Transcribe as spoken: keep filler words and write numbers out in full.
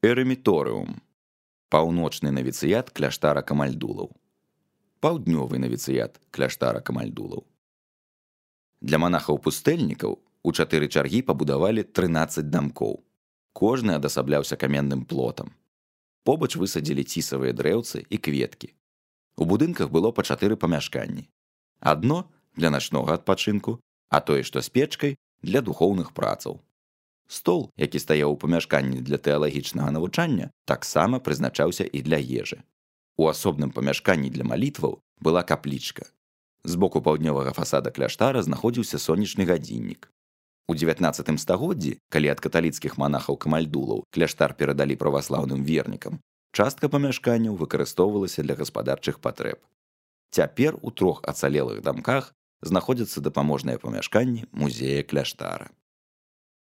Эрэміторыум – паўночны навіцыят кляштара камальдулаў. Паўднёвы навіцыят кляштара камальдулаў. Для манахаў-пустэльнікаў у чатыры чаргі пабудавалі трынаццаць дамкоў. Кожны адасабляўся каменным плотам. Побач высадзілі цісавыя дрэўцы і кветкі. У будынках было па чатыры памяшканні. Адно для начнога адпачынку, а тое, што з печкай, для духоўных працаў. Стол, які стаяў у памяшканні для тэалагічнага навучання, таксама прызначаўся і для ежы. У асобным памяшканні для малітваў была каплічка. З боку паўднёвага фасада кляштара знаходзіўся сонечны гадзіннік. У дзевятнаццатым стагоддзі, калі ад каталіцкіх манахаў-камальдулаў кляштар перадалі праваслаўным вернікам, частка памяшканняў выкарыстоўвалася для гаспадарчых патрэб. Цяпер у трох ацалелых дамках знаходзяцца дапаможныя памяшканні музея кляштара.